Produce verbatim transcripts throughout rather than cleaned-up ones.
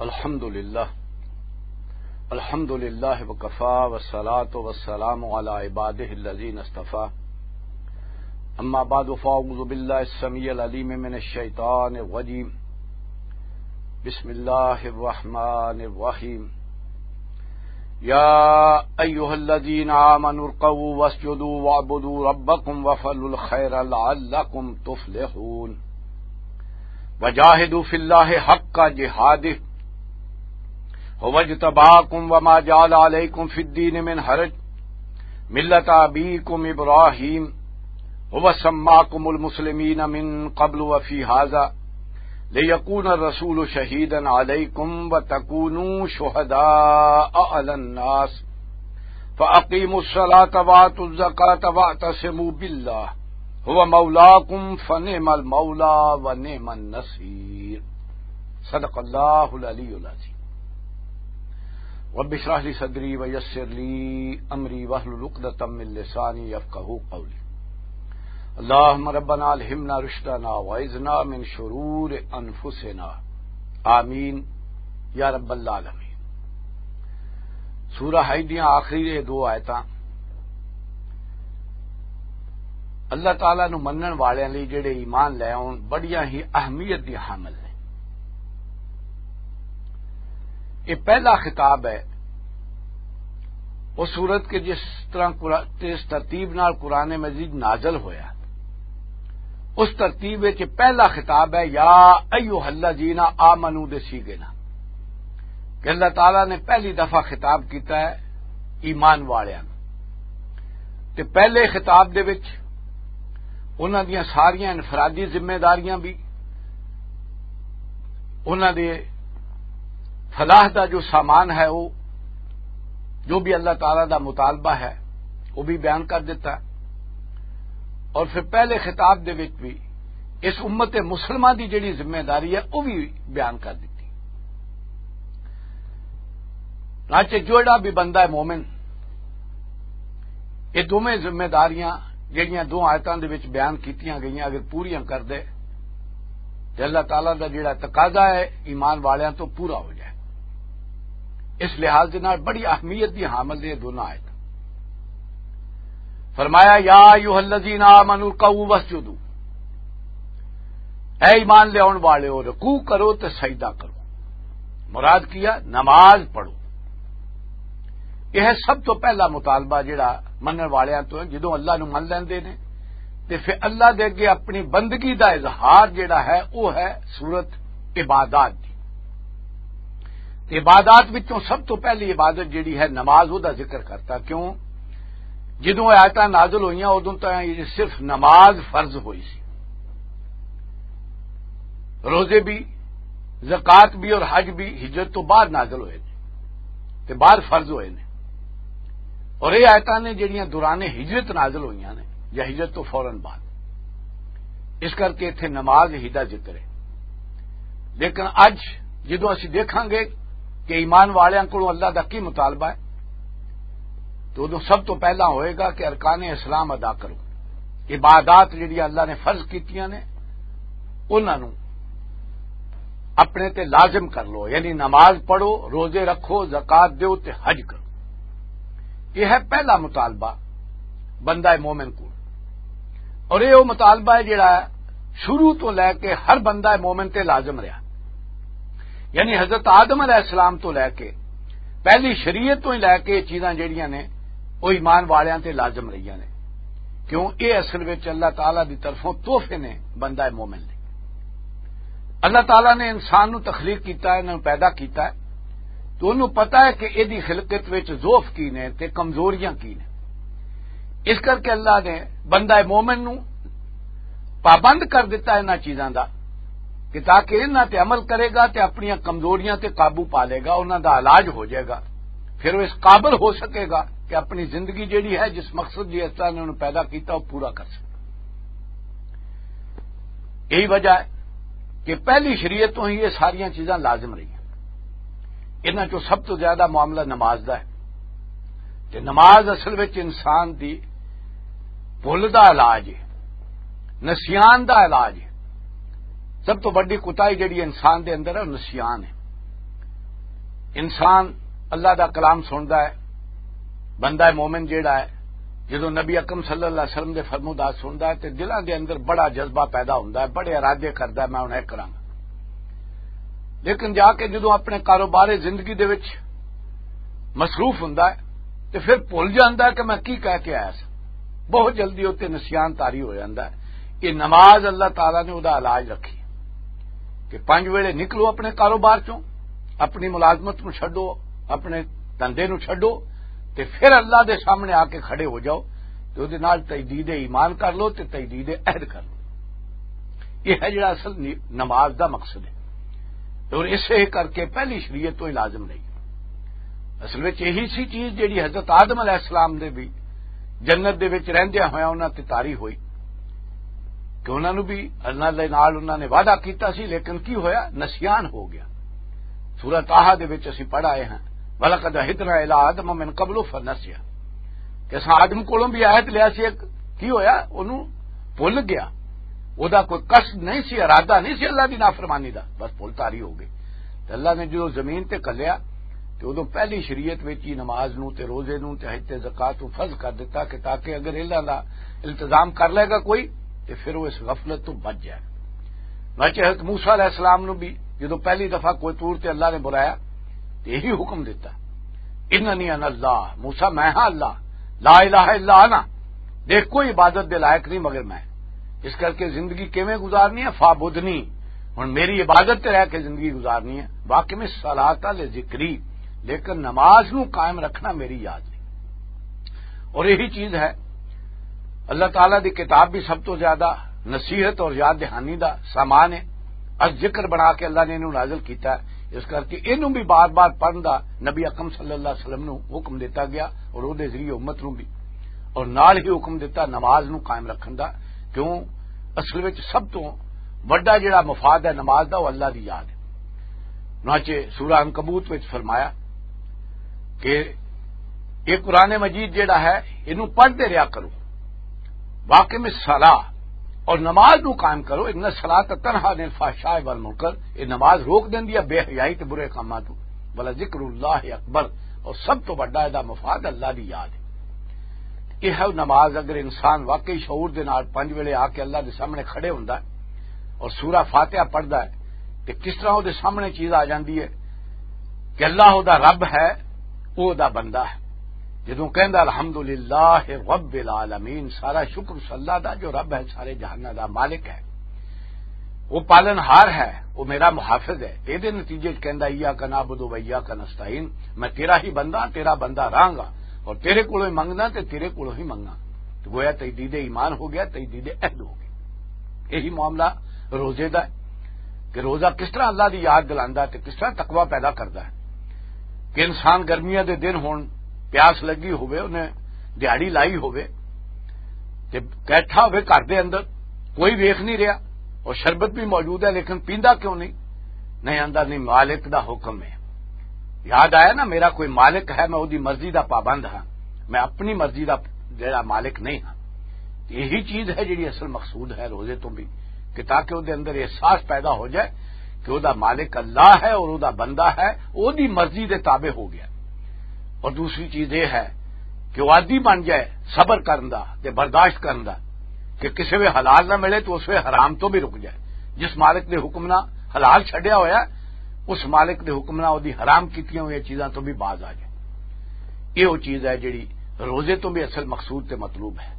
الحمد لله. الحمد لله وكفى، والصلاة والسلام على عباده الذين اصطفى. أما بعد، فأعوذ بالله السميع العليم من الشيطان الرجيم. بسم الله الرحمن الرحيم. يا أيها الذين آمنوا اركعوا واسجدوا واعبدوا ربكم وافعلوا الخير لعلكم تفلحون. وجاهدوا في الله حق جهاده هو اجتباكم وما جعل عليكم في الدين من حرج، ملة أبيكم إبراهيم، هو سماكم المسلمين من قبل وفي هذا، ليكون الرسول شهيدا عليكم وتكونوا شهداء على الناس، فأقيموا الصلاة وآتوا الزكاة واعتصموا بالله هو مولاكم فنعم المولى ونعم النصير. صدق الله العلي العظيم. رب اشرح لي صدري ويسر لي أمري واحلل عقدة من لساني يفقهوا قولي. اللهم ربنا ألهمنا رشدنا وأعذنا من شرور أنفسنا. آمين يا رب العالمين. سورہ حج دیاں آخری یہ دو آیتاں اللہ تعالیٰ نو منن والیاں لئی، جڑے ایمان لے آؤن، بڑیاں ہی اہمیت دی حامل نے۔ یہ پہلا خطاب ہے اس سورت کے، جس طرح قرآ-، جس ترتیب نال قرآن مجید نازل ہویا، اس ترتیب وچ پہلا خطاب ہے یا ایھا الذین آمنو دے سیغے نال، کہ اللہ تعالیٰ نے پہلی دفعہ خطاب کیتا ہے ایمان والیاں نوں۔ تے پہلے خطاب دے وچ انہاں دیاں ساریاں انفرادی ذمہ داریاں بھی، انہاں دے فلاح دا جو سامان ہے، وہ جو بھی اللہ تعالیٰ دا مطالبہ ہے، وہ بھی بیان کر دیتا۔ اور پھر پہلے خطاب دے وچ بھی اس امت مسلمہ دی جڑی ذمہ داری ہے، وہ بھی بیان کر دیتی۔ چنانچہ جوڑا بھی بندہ ہے مومن، یہ دوویں ذمہ داریاں جڑیاں دو آیتاں دے وچ بیان کیتیاں گئیاں، اگر پوریاں کر دے تے اللہ تعالیٰ دا جڑا تقاضا ہے ایمان والیاں تو پورا ہو جائے۔ اس لحاظ دے نال بڑی اہمیت دی حامل نے یہ دونوں آیتاں۔ فرمایا، یا ایھا الذین آمنوا ارکعوا واسجدوا، اے ایمان لیاون والے ہو، رکوع کرو تے سجدہ کرو۔ مراد کیا؟ نماز پڑھو۔ یہ ہے سب تو پہلا مطالبہ جڑا منن والیاں تو ہے۔ جدوں اللہ نو من لیندے نے تے پھر اللہ دے اگے اپنی بندگی دا اظہار جڑا ہے، وہ ہے سورت عبادات دی۔ تے عبادات وچوں سب تو پہلی عبادت جڑی ہے نماز، وہ دا ذکر کرتا۔ کیوں؟ جدوں آیتاں نازل ہوئیاں، ادوں تاں یہ صرف نماز فرض ہوئی سی۔ روزے بھی، زکوٰۃ بھی اور حج بھی ہجرت تو بعد نازل ہوئے نے تے بعد فرض ہوئے نے۔ اور یہ آیتاں نے جڑیاں دوران ہجرت نازل ہوئیاں نے یا ہجرت تو فوراً بعد، اس کر کے اتھے نماز ہی دا ذکر ہے۔ لیکن اج جدوں اسی دیکھاں گے کہ ایمان والیاں کولوں اللہ دا کی مطالبہ ہے، تو ادوں سب تو پہلا ہوئے گا کہ ارکان اسلام ادا کرو، عبادات جڑی اللہ نے فرض کیتیاں نے، انہاں نوں اپنے تے لازم کر لو، یعنی نماز پڑھو، روزے رکھو، زکوٰۃ دیو تے حج کرو۔ یہ ہے پہلا مطالبہ بندہ مومن کو۔ اور یہ وہ مطالبہ ہے جڑا شروع تو لے کے ہر بندہ مومن تے لازم رہا۔ یعنی حضرت آدم علیہ السلام تو لے کے، پہلی شریعت تو ہی لے کے یہ چیزاں جڑیاں نے، وہ ایمان والیاں تے لازم رہیاں نے۔ کیوں؟ یہ اصل وچ اللہ تعالیٰ دی طرفوں تحفے نے بندہ مومن لئی۔ اللہ تعالیٰ نے انسان نو تخلیق کیتا ہے، انہوں پیدا کیتا ہے، تو انہوں پتا ہے کہ ایدی خلقت وچ ضعف کی نے تے کمزوریاں کی نے۔ اس کر کے اللہ نے بندہ مومن نو پابند کر دیتا ہے انہاں چیزاں دا، کہ تاکہ انہاں تے عمل کرے گا تے اپنیاں کمزوریاں تے قابو پا لے گا، انہاں دا علاج ہو جائے گا۔ پھر وہ اس قابل ہو سکے گا کہ اپنی زندگی جڑی ہے، جس مقصد دی اللہ نے انہوں پیدا کیتا، وہ پورا کر سکے۔ یہی وجہ ہے کہ پہلی شریعت تو ہی یہ ساریاں چیزاں لازم رہی ہیں۔ انہاں چوں سب تو زیادہ معاملہ نماز دا ہے۔ تے نماز اصل وچ انسان دی بھل دا علاج ہے، نسیان دا علاج ہے۔ سب تو بڑی کوتاہی جڑی انسان دے اندر ہے، وہ نسیان ہے۔ انسان اللہ دا کلام سندا ہے، بندہ مومن جیڑا ہے، جدوں نبی اکرم صلی اللہ علیہ وسلم دے فرمودات سندا ہے تے دلاں دے اندر بڑا جذبہ پیدا ہوندا ہے، بڑے ارادے کردا ہے، میں ہن اے کراں۔ لیکن جا کے جدوں اپنے کاروبار زندگی دے وچ مصروف ہوندا ہے تے پھر بھول جاندا ہے کہ میں کی کہہ کے آیا سا۔ بہت جلدی اوتے نسیان طاری ہو جاندا ہے۔ یہ نماز اللہ تعالیٰ نے او دا علاج رکھی کہ پنج ویلے نکلو اپنے کاروبار چوں، اپنی ملازمت نو چھڈو، اپنے دھندے نو چھڈو، تے پھر اللہ دے سامنے آ کے کھڑے ہو جاؤ، تے او دے نال تجدید ایمان کر لو تے تجدید عہد کر لو۔ یہ ہے جڑا اصل نی-، نماز دا مقصد ہے۔ اور اسے کر کے پہلی شریعت تو ہی لازم نہیں۔ اصل وچ یہی سی چیز جڑی حضرت آدم علیہ السلام دے بھی جنت دے وچ رہندیاں ہویاں انہاں تے طاری ہوئی کہ انہاں نوں بھی اللہ دے نال انہاں نے وعدہ کیتا سی، لیکن کی ہویا؟ نسیان ہو گیا۔ سورہ طٰہٰ دے وچ اسی پڑھ آئے ہیں، "وَلَقَدْ عَهِدْنَا إِلَىٰ آدَمَ مِن قَبْلُ فَنَسِيَ"، کہ اساں آدم کولوں بھی عہد لیا سی ایک، کی ہویا؟ انہوں بھول گیا۔ او دا کوئی قصد نہیں سی، ارادہ نہیں سی اللہ دی نافرمانی دا، بس بھول طاری ہو گئی۔ تے اللہ نے جو زمین تے کلیا، تے اودوں پہلی شریعت وچ ہی نماز نوں تے روزے نوں تے حج تے زکوٰۃ نوں فرض کر دتا کہ تاکہ اگر انہاں دا التزام کر لے گا کوئی، تے پھر وہ اس غفلت تو بچ جائے۔ بچے حضرت موسیٰ علیہ السلام نوں بھی جدوں پہلی دفعہ کوہ طور تے اللہ نے بلایا، تے یہی حکم دتا، "اننی انا اللہ"، موسیٰ میں ہاں اللہ، "لا الہ الا انا"، دیکھ کوئی عبادت دے لائق نہیں مگر میں۔ اس کر کے زندگی کیویں گزارنی ہے؟ "فاعبدنی"، ہن میری عبادت تے رہ کے زندگی گزارنی ہے۔ "واقم الصلاۃ لذکری"، لیکن نماز نو قائم رکھنا میری یاد نہیں۔ اور یہی چیز ہے، اللہ تعالیٰ دی کتاب بھی سب تو زیادہ نصیحت اور یاد دہانی دا سامان ہے۔ از ذکر بنا کے اللہ نے انہوں نازل کیتا ہے، اس کر کے انہوں بھی بار بار پڑھن دا نبی اکرم صلی اللہ علیہ وسلم نو حکم دیتا گیا اور او دے ذریعے امت نو بھی، اور نال ہی حکم دیتا نماز نو قائم رکھن دا۔ کیوں؟ اصل وچ سب تو وڈا جڑا مفاد ہے نماز دا، وہ اللہ دی یاد ہے۔ چنانچہ سورہ عنکبوت وچ فرمایا کہ یہ قرآن مجید جڑا ہے، اینوں پڑھتے رہا کرو، "واقم الصلاۃ"، اور نماز نو قائم کرو، "ان الصلاۃ تنہا عن الفحشاء والمنکر"، یہ نماز روک دیندی ہے بے حیائی تے برے کاماں تو، "ولذکر اللہ اکبر"، اور سب تو بڑا ادا مفاد اللہ دی یاد ہے۔ یہ ہے نماز، اگر انسان واقعی شعور دے نال پنج ویلے آ کے اللہ دے سامنے کھڑے ہوندا ہے اور سورہ فاتحہ پڑھدا ہے، تے کس طرح او دے سامنے چیز آ جاندی ہے کہ اللہ او دا رب ہے، او دا بندہ ہے۔ جدوں کہندا، "الحمدللہ رب العالمین"، سارا شکر اس اللہ دا جو رب ہے، سارے جہاناں دا مالک ہے، وہ پالن ہار ہے، وہ میرا محافظ ہے۔ تے دے نتیجے چ کہندا، "ایاک نعبد و ایاک نستعین"، میں تیرا ہی بندہ، تیرا بندہ رہاں گا، اور تیرے کولوں ہی منگنا تے تیرے کولوں ہی منگنا۔ تو گویا تجدید ایمان ہو گیا، تجدید عہد ہو گیا۔ یہی معاملہ روزے دا ہے کہ روزہ کس طرح اللہ دی یاد دلاندا ہے تے کس طرح تقوی پیدا کردا ہے۔ کہ انسان گرمیاں دے دن ہون، پیاس لگی ہوئے، انہیں دیہاڑی لائی ہوئے، تے بیٹھا ہوئے گھر دے اندر، کوئی ویکھ نہیں رہا، اور شربت بھی موجود ہے، لیکن پیندا کیوں نہیں؟ نہیں آندا، نہیں، مالک دا حکم ہے۔ یاد آیا نا، میرا کوئی مالک ہے، میں اودی مرضی دا پابند ہاں، میں اپنی مرضی دا جڑا مالک نہیں ہاں۔ یہی چیز ہے جڑی اصل مقصود ہے روزے تو بھی، کہ تاکہ اودے اندر احساس پیدا ہو جائے کہ او دا مالک اللہ ہے اور او دا بندہ ہے، او دی مرضی دے تابع ہو گیا۔ اور دوسری چیز یہ ہے کہ وہ عادی بن جائے صبر کرن دا تے برداشت کرن دا، کہ کسے وے حلال نہ ملے تو اس وے حرام تو بھی رک جائے۔ جس مالک دے حکم نہ حلال چھڈیا ہویا، اس مالک دے حکم نہ او دی حرام کیتیاں ہوئی چیزاں تو بھی باز آ جائے۔ یہ وہ چیز ہے جڑی روزے تو بھی اصل مقصود تے مطلوب ہے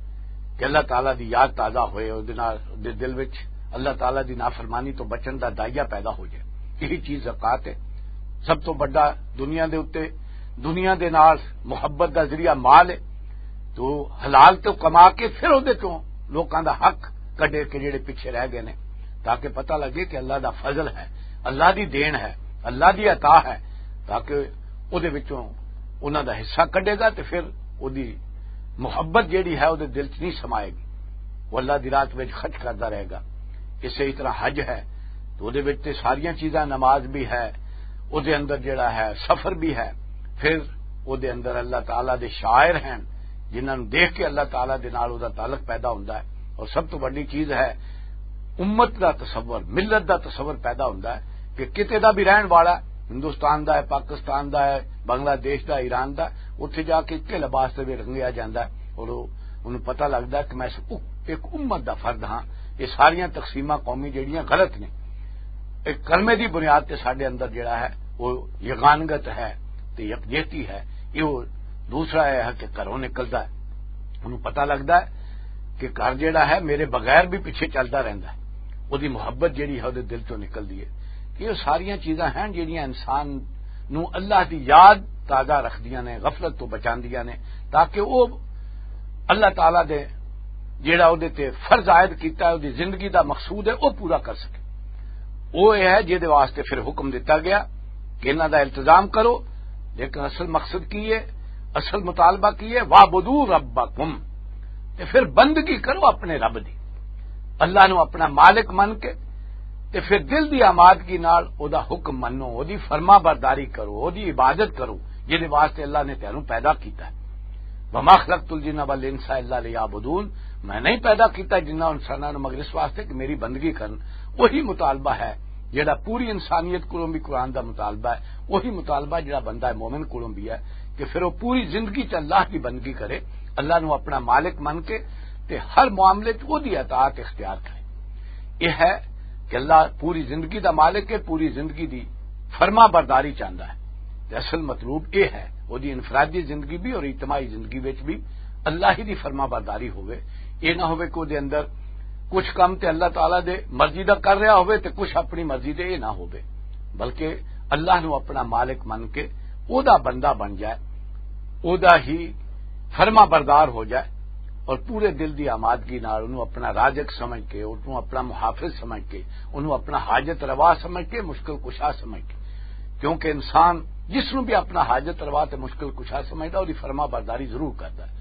کہ اللہ تعالیٰ دی یاد تازہ ہوئے، او دے نال، دے دل وچ اللہ تعالیٰ دی نافرمانی تو بچن دا دائیا پیدا ہو جائے۔ یہی چیز زکوٰۃ ہے۔ سب تو بڑا دنیا دے اُتے، دنیا دے نال محبت دا ذریعہ مال ہے۔ تو حلال تو کما کے پھر اودے چوں لوکاں دا حق کڈے کہ جڑے پیچھے رہ گئے نے، تاکہ پتہ لگے کہ اللہ دا فضل ہے، اللہ دی دین ہے، اللہ دی عطا ہے، تاکہ اودے وچوں انہاں دا حصہ کڈے گا تے پھر اودی محبت جیڑی ہے اودے دل چ نہیں سمائے گی، وہ اللہ دی رات وچ خرچ کردا رہے گا۔ اسی طرح حج ہے، تو اودے وچ تے ساریاں چیزاں، نماز بھی ہے، اودے اندر جڑا ہے سفر بھی ہے، پھر اودے اندر اللہ تعالیٰ دے شاعر ہیں جنہاں نوں دیکھ کے اللہ تعالیٰ دے نال اودے تعلق پیدا ہوندا ہے۔ اور سب تو بڑی چیز ہے امت دا تصور، ملت دا تصور پیدا ہوندا ہے کہ کتے دا بھی رہن والا ہے، ہندوستان دا ہے، پاکستان دا ہے، بنگلہ دیش دا، ایران دا، اتھے جا کے اکے لباس دے وچ رنگیا جاندا ہے اور او، انہوں پتہ لگدا ہے کہ میں اس ا-، ایک امت دا فرد ہاں۔ یہ ساریاں تقسیماں قومی جڑیاں غلط نے۔ ایک کلمے دی بنیاد تے ساڈے اندر جڑا ہے، وہ یگانگت ہے تے یکجہتی ہے۔ یہ وہ دوسرا ہے کہ گھروں نکلدا ہے، انہوں پتہ لگدا ہے کہ گھر جڑا ہے، میرے بغیر بھی پیچھے چلدا رہندا ہے۔ وہ دی محبت جڑی ہے، وہ دل چوں نکلدی ہے۔ یہ ساریاں چیزاں ہیں جڑیاں انسان نو اللہ دی یاد تازہ رکھدیاں نے، غفلت تو بچاندیاں نے، تاکہ وہ اللہ تعالیٰ دے جڑا وہ تے فرض عائد کیتا ہے، وہ دی زندگی دا مقصود ہے، وہ پورا کر سکے۔ وہ یہ ہے جہدے واسطے پھر حکم دتا گیا کہ انہاں دا التزام کرو، لیکن اصل مقصد کی ہے؟ اصل مطالبہ کی ہے؟ "وَاعْبُدُوا رَبَّكُمْ"، تے پھر بندگی کرو اپنے رب دی، اللہ نو اپنا مالک من کے، تے پھر دل دی آمادگی نال او دا حکم منو، او دی فرما برداری کرو، او دی عبادت کرو، جہدے واسطے اللہ نے تینوں پیدا کیتا ہے۔ "وَمَا خَلَقْتُ الْجِنَّ وَالْإِنسَ إِلَّا لِيَعْبُدُونِ"، میں نہیں پیدا کیتا جنہاں انساناں نوں مگر اس واسطے کہ میری بندگی کرن۔ وہی مطالبہ ہے جڑا پوری انسانیت کولوں بھی قرآن دا مطالبہ ہے، وہی مطالبہ جڑا بندہ مومن کولوں بھی ہے کہ پھر وہ پوری زندگی چ اللہ کی بندگی کرے، اللہ نو اپنا مالک من کے تے ہر معاملے چ وہ دی اطاعت اختیار کرے۔ یہ ہے کہ اللہ پوری زندگی دا مالک ہے، پوری زندگی دی فرما برداری چاہندا ہے۔ تے اصل مطلوب یہ ہے، وہ دی انفرادی زندگی بھی اور اجتماعی زندگی وچ بھی اللہ ہی دی فرما برداری ہوئے۔ یہ نہ ہوئے کہ وہ دے اندر کچھ کم تے اللہ تعالیٰ دے مرضی دا کر رہا ہوئے تے کچھ اپنی مرضی دے یہ نہ ہوئے، بلکہ اللہ نو اپنا مالک من کے او دا بندہ بن جائے، او دا ہی فرما بردار ہو جائے اور پورے دل دی آمادگی نال انہوں اپنا رازق سمجھ کے، انہوں اپنا محافظ سمجھ کے، انہوں اپنا حاجت روا سمجھ کے، مشکل کشا سمجھ کے۔ کیونکہ انسان جس نوں بھی اپنا حاجت روا تے مشکل کشا سمجھدا، اوہدی فرما برداری ضرور کردا ہے۔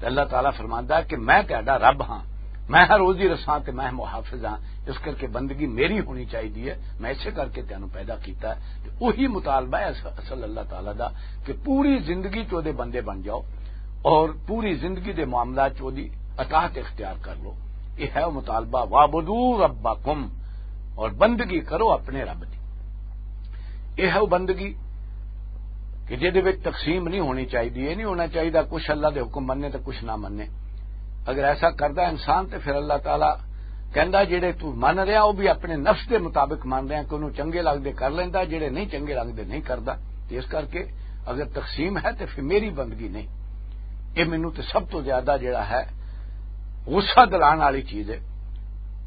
تے اللہ تعالیٰ فرماندا ہے کہ میں تہاڈا رب ہاں، میں ہر روزی رساں تے میں محافظ ہاں، اس کر کے بندگی میری ہونی چاہیے ہے، میں اسے کر کے تینوں پیدا کیتا ہے۔ تے وہی مطالبہ ہے اص-، اصل اللہ تعالیٰ دا کہ پوری زندگی چ اوہدے بندے بن جاؤ اور پوری زندگی دے معاملات چ اوہدی اطاعت اختیار کر لو۔ یہ ہے وہ مطالبہ، "وَاعْبُدُوا رَبَّكُمْ"، اور بندگی کرو اپنے رب دی۔ یہ ہے وہ بندگی کہ جہدے وچ تقسیم نہیں ہونی چاہیے، یہ نہیں ہونا چاہیے کچھ اللہ دے حکم مننے تے کچھ نہ مننے۔ اگر ایسا کردا انسان تے پھر اللہ تعالیٰ کہندا، "جڑے تو من رہا وہ بھی اپنے نفس دے مطابق من رہا، کہ انہوں چنگے لگدے کر لیندا، جڑے نہیں چنگے لگدے نہیں کردا۔" تے اس کر کے اگر تقسیم ہے تے پھر میری بندگی نہیں، یہ مینوں تے سب تو زیادہ جڑا ہے غصہ دلان والی چیز ہے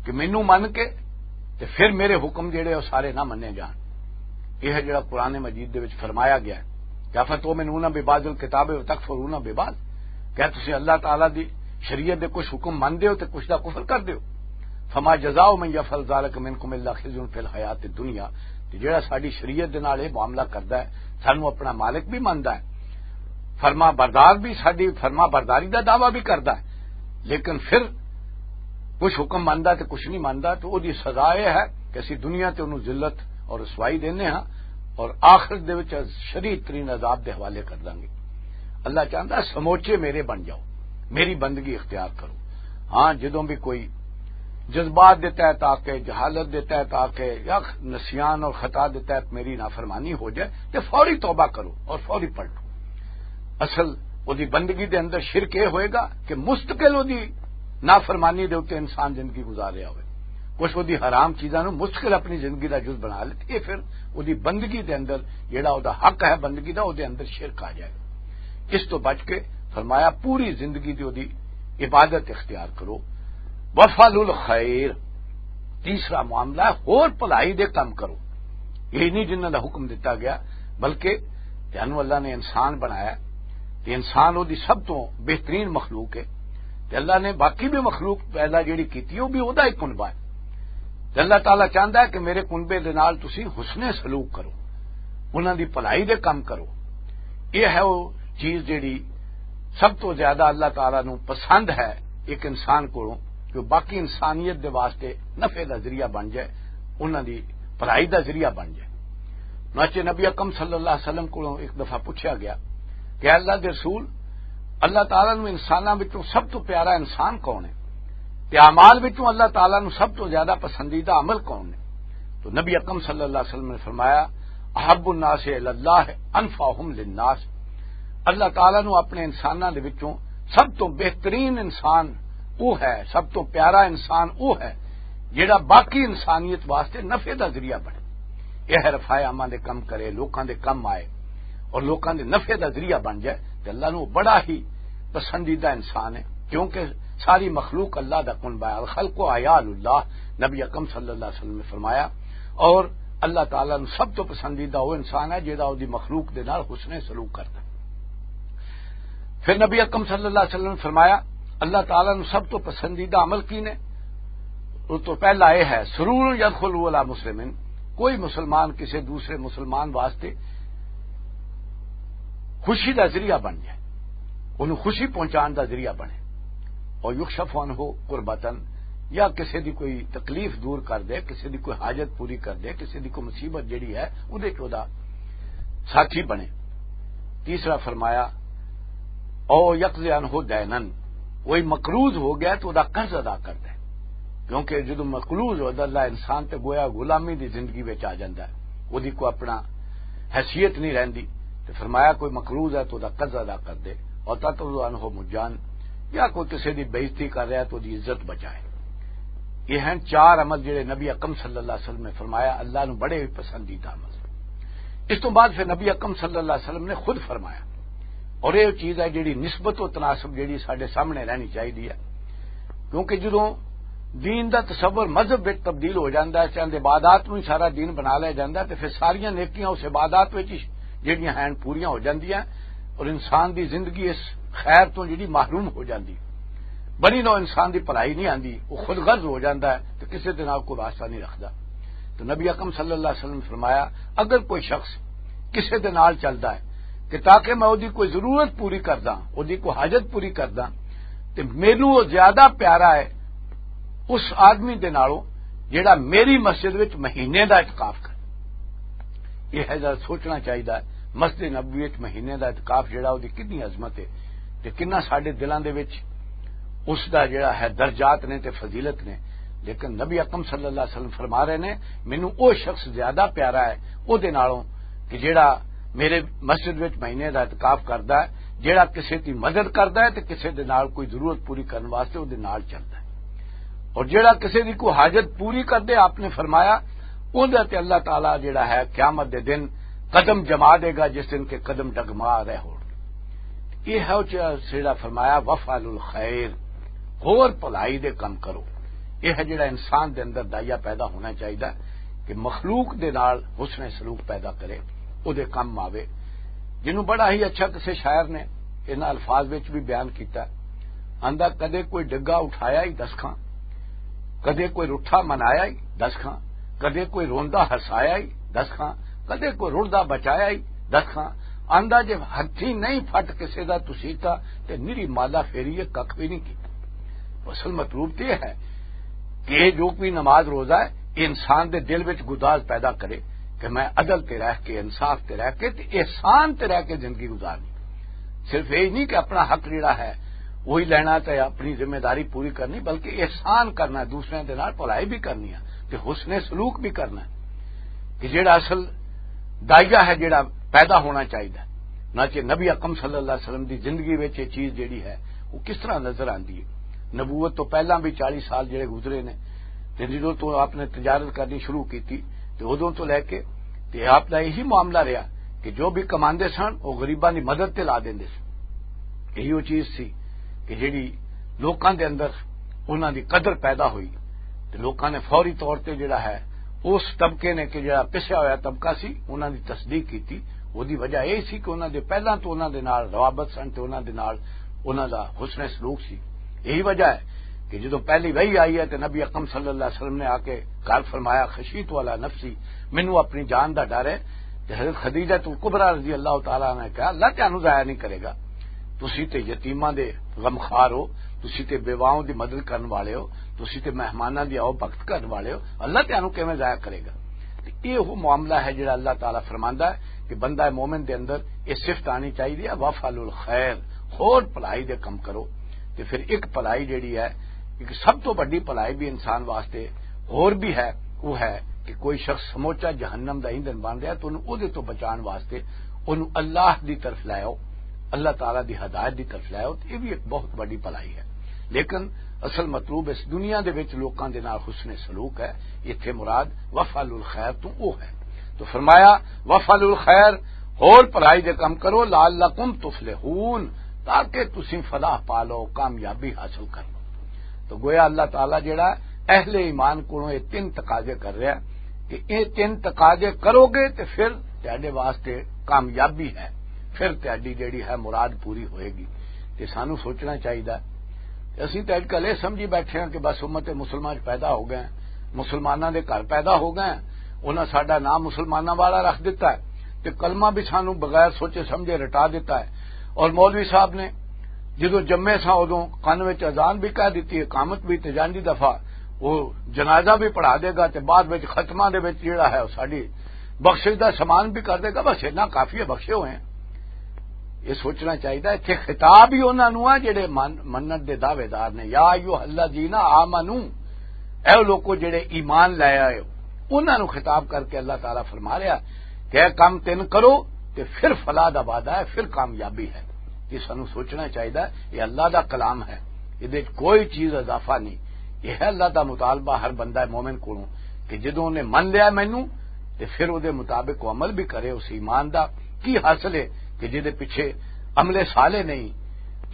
کہ مینوں من کے تے پھر میرے حکم جڑے وہ سارے نہ منے جان۔ یہ ہے جڑا قرآن مجید دے وچ فرمایا گیا ہے کہ "أَفَتُؤْمِنُونَ بِبَعْضِ الْكِتَابِ وَتَكْفُرُونَ بِبَعْضٍ"، کیا تسی اللہ تعالیٰ دی شریعت دے کچھ حکم مندے ہو تے کچھ دا کفر کر دیو؟ "فَمَا جَزَاءُ مَنْ يَفْعَلُ ذَلِكَ مِنْكُمْ إِلَّا خِزْيٌ فِي الْحَيَاةِ الدُّنْيَا"، تے جڑا ساڈی شریعت دے نال یہ معاملہ کردا ہے، سانو اپنا مالک بھی مندا ہے، فرما بردار بھی، ساڈی فرما برداری دا دعویٰ بھی کردا ہے، لیکن پھر کچھ حکم مندا تے کچھ نہیں مندا، تو او دی سزا یہ ہے کہ اسی دنیا تے انہوں ذلت اور رسوائی دینے ہاں اور آخرت دے وچ شدید ترین عذاب دے حوالے کر دیں گے۔ اللہ چاہندا ہے سموچے میرے بن جاؤ، میری بندگی اختیار کرو۔ ہاں، جدوں بھی کوئی جذبات دے تحت آ کے، جہالت دے تحت آ کے یا نسیان اور خطا دے تحت میری نافرمانی ہو جائے تے فوری توبہ کرو اور فوری پلٹو۔ اصل اوہدی بندگی دے اندر شرک یہ ہوئے گا کہ مستقل اوہدی نافرمانی دے اُتے انسان زندگی گزار رہا ہوئے، کچھ اوہدی حرام چیزاں نوں مستقل اپنی زندگی دا جز بنا لے، تے یہ پھر اوہدی بندگی دے اندر جڑا اوہدا حق ہے بندگی دا، اوہدے اندر شرک آ جائے گا۔ اس تو بچ کے فرمایا پوری زندگی دی اوہدی عبادت اختیار کرو۔ وفعل الخیر، تیسرا معاملہ ہے، ہور بھلائی دے کم کرو۔ یہ نہیں جنہاں دا حکم دتا گیا، بلکہ تینوں اللہ نے انسان بنایا تے انسان اوہدی سب تو بہترین مخلوق ہے۔ تے اللہ نے باقی بھی مخلوق پیدا جڑی کیتی، وہ بھی اوہدا ہی کنبہ ہے۔ تے اللہ تعالیٰ چاہندا ہے کہ میرے کنبے دے نال تسی حسن سلوک کرو، انہاں دی بھلائی دے کم کرو۔ یہ ہے وہ چیز جڑی سب تو زیادہ اللہ تعالیٰ نو پسند ہے ایک انسان کولوں، کہ وہ باقی انسانیت دے واسطے نفع دا ذریعہ بن جائے، انہاں دی بھلائی دا ذریعہ بن جائے۔ چنانچہ نبی اکرم صلی اللہ علیہ وسلم کولوں ایک دفعہ پوچھا گیا کہ "اے اللہ دے رسول، اللہ تعالیٰ نو انساناں وچوں سب تو پیارا انسان کون ہے؟ تے اعمال وچوں اللہ تعالیٰ نو سب تو زیادہ پسندیدہ عمل کون ہے؟" تو نبی اکرم صلی اللہ علیہ وسلم نے فرمایا، احب الناس الی اللہ انفعہم للناس۔ اللہ تعالیٰ نو اپنے انساناں دے وچوں سب تو بہترین انسان وہ ہے، سب تو پیارا انسان وہ ہے جڑا باقی انسانیت واسطے نفع دا ذریعہ بنے۔ یہ ہے رفاع عامہ دے کم کرے، لوکاں دے کم آئے اور لوکاں دے نفع دا ذریعہ بن جائے، تے اللہ نو بڑا ہی پسندیدہ انسان ہے، کیونکہ ساری مخلوق اللہ دا کنبہ ہے۔ الخلق عیال اللہ، نبی اکرم صلی اللہ علیہ وسلم نے فرمایا۔ اور اللہ تعالیٰ نو سب تو پسندیدہ وہ انسان ہے جہاں دی مخلوق دے نال حسن سلوک کرتا ہے۔ پھر نبی اکرم صلی اللہ علیہ وسلم نے فرمایا، اللہ تعالیٰ نو سب تو پسندیدہ عمل کی نے؟ اس تو پہلا یہ ہے، سرور یدخل علی مسلم، کوئی مسلمان کسی دوسرے مسلمان واسطے خوشی دا ذریعہ بن جائے، انہوں خوشی پہنچان دا ذریعہ بنے، اور یکشف عنہ کربتن، یا کسی دی کوئی تکلیف دور کر دے، کسی دی کوئی حاجت پوری کر دے، کسی دی کوئی مصیبت جڑی ہے اودے چ اودا ساتھی بنے۔ تیسرا فرمایا، او یقضی عنہ دینن، کوئی مقروض ہو گیا تو اودا قرض ادا کر دے، کیونکہ جدوں مقروض ہو جاندا انسان تے گویا غلامی دی زندگی وچ آ جاندا ہے، اودی کوئی اپنا حیثیت نہیں رہندی۔ تے فرمایا، کوئی مقروض ہے تو اودا قرض ادا کر دے، اور تتوضع عنہ مجان، یا کوئی کسی دی بے عزتی کر رہا ہے تو اوہدی عزت بچائے۔ یہ ہیں چار عمل جڑے نبی اکرم صلی اللہ علیہ وسلم نے فرمایا، اللہ نو بڑے پسندیدہ عمل۔ اس تو بعد پھر نبی اکرم صلی اللہ علیہ وسلم نے خود فرمایا، اور یہ چیز ہے جڑی نسبت و تناسب جڑی ساڈے سامنے رہنی چاہیے ہے، کیونکہ جدوں دین دا تصور مذہب وچ تبدیل ہو جاندا ہے، چند عبادات نوں ہی سارا دین بنا لیا جاندا ہے، تے پھر ساریاں نیکیاں اس عبادات وچ ہی جڑیاں ہیں پوریاں ہو جاندیاں، اور انسان دی زندگی اس خیر تو جڑی محروم ہو جاندی، بنی نو انسان دی بھلائی نہیں آندی، وہ خود غرض ہو جاندا ہے تے کسے دے نال کوئی واسطہ نہیں رکھدا۔ تو نبی اکرم صلی اللہ علیہ وسلم نے فرمایا، اگر کوئی شخص کسے دے نال چلدا ہے کہ تاکہ میں اودی کوئی ضرورت پوری کردا، اودی کوئی حاجت پوری کردا، تے مینوں وہ زیادہ پیارا ہے اس آدمی دے نالوں جڑا میری مسجد وچ مہینے دا اعتکاف کرے۔ یہ ہے ذرا سوچنا چاہیدا ہے، مسجد نبوی وچ مہینے دا اعتکاف جڑا، اودی کتنی عظمت ہے تے کتنا ساڈے دلاں دے وچ اس دا جڑا ہے درجات نے تے فضیلت نے۔ لیکن نبی اکرم صلی اللہ علیہ وسلم فرما رہے نے، مینوں او شخص زیادہ پیارا ہے او دے نالوں کہ جڑا میرے مسجد وچ مہینے دا اعتکاف کردا ہے، جڑا کسے دی مدد کردا ہے تے کسے دے نال کوئی ضرورت پوری کرن واسطے او دے نال چلدا ہے، اور جڑا کسے دی کوئی حاجت پوری کردے، آپ نے فرمایا، اون دے تے اللہ تعالیٰ جڑا ہے قیامت دے دن قدم جما دے گا، جس دن کے قدم ڈگما رہے ہون۔ یہ ہے او چ-، جڑا فرمایا، وفعل الخیر، ہور بھلائی دے کم کرو۔ یہ ہے جڑا انسان دے اندر دائیا پیدا ہونا چاہیدا کہ مخلوق دے نال حسن سلوک پیدا کرے، او دے کم آوے۔ جنوں بڑا ہی اچھا کسے شاعر نے انہاں الفاظ وچ بھی بیان کیتا، آندا، کدے کوئی ڈگا اٹھایا ہی دس کھاں، کدے کوئی رٹھا منایا ہی دس کھاں، کدے کوئی روندا ہسایا ہی دس کھاں، کدے کوئی رڑدا بچایا ہی دس کھاں۔ آندا، جے ہتھی نہیں پھٹ کسے دا تسیتا، تے نری مالا فیری ہے، ککھ بھی نہیں کیتا۔ اصل مطلوب تے یہ ہے کہ یہ جو کوئی نماز روزہ ہے، یہ انسان دے دل وچ گداز پیدا کرے کہ میں عدل تے رہ کے، انصاف تے رہ کے، تے احسان تے رہ کے زندگی گزارنی۔ صرف یہی نہیں کہ اپنا حق جڑا ہے وہی لینا تے اپنی ذمہ داری پوری کرنی، بلکہ احسان کرنا، دوسرے دے نال بھلائی بھی کرنی ہے تے حسن سلوک بھی کرنا ہے، کہ جڑا اصل دائیا ہے، جڑا پیدا ہونا چاہیے۔ نہ کہ نبی اکرم صلی اللہ علیہ وسلم دی زندگی وچ یہ چیز جڑی ہے، وہ کس طرح نظر آندی ہے۔ نبوت تو پہلاں بھی چالیس سال جڑے گزرے نے، تے جدوں تو آپ نے تجارت کرنی شروع کیتی، تے ادوں تو لے کے تے آپ دا یہی معاملہ رہا کہ جو بھی کماندے سن، وہ غریباں دی مدد تے لا دیندے سن۔ یہی وہ چیز سی کہ جڑی لوکاں دے اندر انہاں دی قدر پیدا ہوئی، تے لوکاں نے فوری طور تے جڑا ہے، اس طبقے نے کہ جڑا پسیا ہویا طبقہ سی، انہاں دی تصدیق کیتی۔ اودی وجہ یہ سی کہ انہاں دے پہلاں تو انہاں دے نال روابط سن تے انہاں دے نال انہاں دا حسن سلوک سی۔ یہی وجہ ہے کہ جدوں پہلی وحی آئی ہے تے نبی اکرم صلی اللہ علیہ وسلم نے آ کے گھر فرمایا، خشیت والا نفسی، مینوں اپنی جان دا ڈر ہے۔ تے حضرت خدیجہ الکبریٰ رضی اللہ تعالیٰ عنہا نے کہا، اللہ تانوں ضائع نہیں کرے گا، تسی تے یتیماں دے غمخوار ہو، تسی تے بیواؤں دی مدد کرن والے ہو، تسی تے مہماناں دی آؤ بھگت کرن والے ہو، اللہ تانوں کیویں ضائع کرے گا؟ تے یہ وہ معاملہ ہے جڑا اللہ تعالیٰ فرماندا ہے کہ بندہ مومن دے اندر یہ صفت آنی چاہیے ہے، وفعل الخیر، ہور بھلائی دے کم کرو۔ تے پھر ایک بھلائی جڑی ہے، ایک سب تو بڑی بھلائی بھی انسان واسطے ہور بھی ہے، وہ ہے کہ کوئی شخص سموچا جہنم دا ایندھن بن رہا ہے، تو انہوں اودے تو بچان واسطے انہوں اللہ دی طرف لے آؤ، اللہ تعالیٰ دی ہدایت دی طرف لے آؤ، تو یہ بھی ایک بہت بڑی بھلائی ہے۔ لیکن اصل مطلوب اس دنیا دے وچ لوکاں دے نال حسن سلوک ہے۔ اتھے مراد وفعل الخیر تو وہ ہے۔ تو فرمایا، وفعل الخیر، ہور بھلائی دے کم کرو، لعلکم تفلحون، تاکہ تسی فلاح پا لو، کامیابی حاصل کر لو۔ تو گویا اللہ تعالیٰ جڑا اہل ایمان کولوں یہ تین تقاضے کر رہا ہے کہ یہ تین تقاضے کرو گے تے پھر تہاڈے واسطے کامیابی ہے، پھر تہاڈی جڑی ہے مراد پوری ہوئے گی۔ تے سانو سوچنا چاہیدا۔ تے اسی تے اج کل یہ سمجھی بیٹھے ہیں کہ بس امت مسلمان چ پیدا ہو گئے ہیں، مسلماناں دے گھر پیدا ہو گئے ہیں، انہاں ساڈا نام مسلماناں والا رکھ دتا ہے، تے کلمہ بھی سانو بغیر سوچے سمجھے رٹا دتا ہے۔ اور مولوی صاحب نے جدوں جمے سا، ادوں کن وچ اذان بھی کہہ دتی، اقامت بھی، تے جان دی دفعہ وہ جنازہ بھی پڑھا دے گا، تے بعد وچ ختمہ دے وچ جڑا ہے، وہ ساڈی بخشش دا سامان بھی کر دے گا۔ بس اتنا کافی ہے، بخشے ہوئے ہیں۔ یہ سوچنا چاہیے۔ اتھے خطاب ہی انہاں نوں آ جڑے من-، منت دے دعوے دار نے، یا ایھا الذین آمنو، اے لوکو جڑے ایمان لے آئے ہو، انہاں نوں خطاب کر کے اللہ تعالیٰ فرما رہا کہ اے کم تین کرو، تے پھر فلاح دا وعدہ ہے، پھر کامیابی ہے۔ یہ سانو سوچنا چاہیے، یہ اللہ دا کلام ہے، یہ کوئی چیز اضافہ نہیں۔ یہ ہے اللہ دا مطالبہ ہر بندہ مومن کو، کہ جدوں نے من لیا مینوں، تے پھر او دے مطابق وہ عمل بھی کرے۔ اس ایمان دا کی حاصل ہے کہ جدے پیچھے عمل صالح نہیں،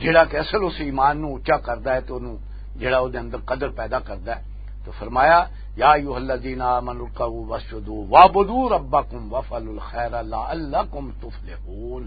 جڑا کہ اصل اس ایمان نو اچا کردا ہے تے اونوں جڑا او دے اندر قدر پیدا کردا ہے۔ تو فرمایا، یا ایھا الذین آمنوا ارکعوا واسجدوا واعبدوا ربکم وافعلوا الخیر لعلکم تفلحون۔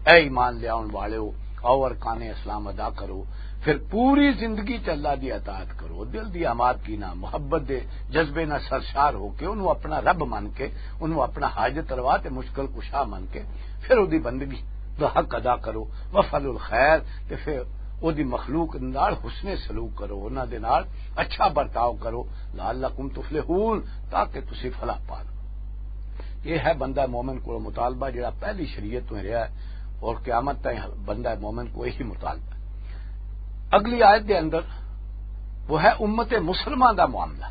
اے ایمان لے آؤن والےو، آؤ ارکان اسلام ادا کرو، پھر پوری زندگی چ اللہ دی اطاعت کرو، دل دی آمادگی نہ، محبت دے جذبے نہ سرشار ہو کے، انہوں اپنا رب من کے، انہوں اپنا حاجت روا تے مشکل کشا من کے، پھر اودی بندگی دا حق ادا کرو۔ وفعلوا الخیر، تے پھر اودی مخلوق نال حسن سلوک کرو، انہاں دے نال اچھا برتاؤ کرو، لعلکم تفلحون، تاکہ تسی فلاح پا لو۔ یہ ہے بندہ مومن کو مطالبہ، جڑا پہلی شریعت تو رہا ہے اور قیامت تائیں بندہ مومن کو یہی مطالبہ ہے۔ اگلی آیت دے اندر وہ ہے امت مسلمہ دا معاملہ،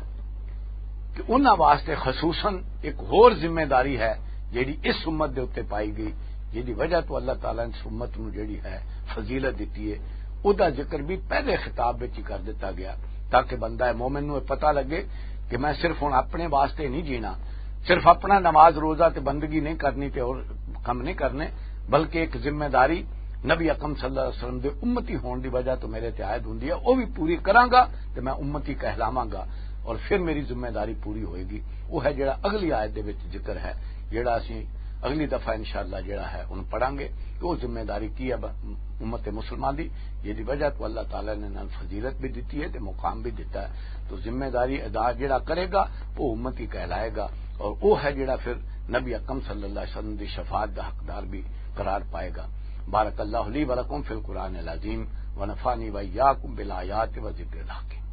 کہ انہاں واسطے خصوصاً ایک ہور ذمہ داری ہے، جیڑی اس امت دے اُتے پائی گئی، جیڑی وجہ تو اللہ تعالیٰ نے اس امت نو جیڑی ہے فضیلت دتی ہے۔ او دا ذکر بھی پہلے خطاب وچ ہی کر دتا گیا، تاکہ بندہ مومن نو یہ پتہ لگے کہ میں صرف ہن اپنے واسطے نہیں جینا، صرف اپنا نماز روزہ تے بندگی نہیں کرنی تے اور کم نہیں کرنے، بلکہ ایک ذمہ داری نبی اکرم صلی اللہ علیہ وسلم دے امتی ہون دی وجہ تو میرے تے عائد ہوندی ہے، او بھی پوری کراں گا تے میں امتی کہلاواں گا، اور پھر میری ذمہ داری پوری ہوئے گی۔ وہ ہے جڑا اگلی آیت دے وچ ذکر ہے، جڑا اسی اگلی دفعہ انشاءاللہ جڑا ہے ان پڑھاں گے کہ وہ ذمہ داری کی ہے ب-، امت مسلمان دی، جس دی وجہ تو اللہ تعالیٰ نے انہاں نوں فضیلت بھی دتی ہے تے مقام بھی دتا ہے۔ تو ذمہ داری ادا جڑا کرے گا، وہ امتی کہلائے گا، اور وہ ہے جڑا پھر نبی اکرم صلی اللہ علیہ وسلم دی شفاعت دا حقدار بھی قرار پائے گا۔ بارک اللہ لی و لکم فی القرآن العظیم، و نفعنی و ایاکم بالآیات و ذکر الحکیم۔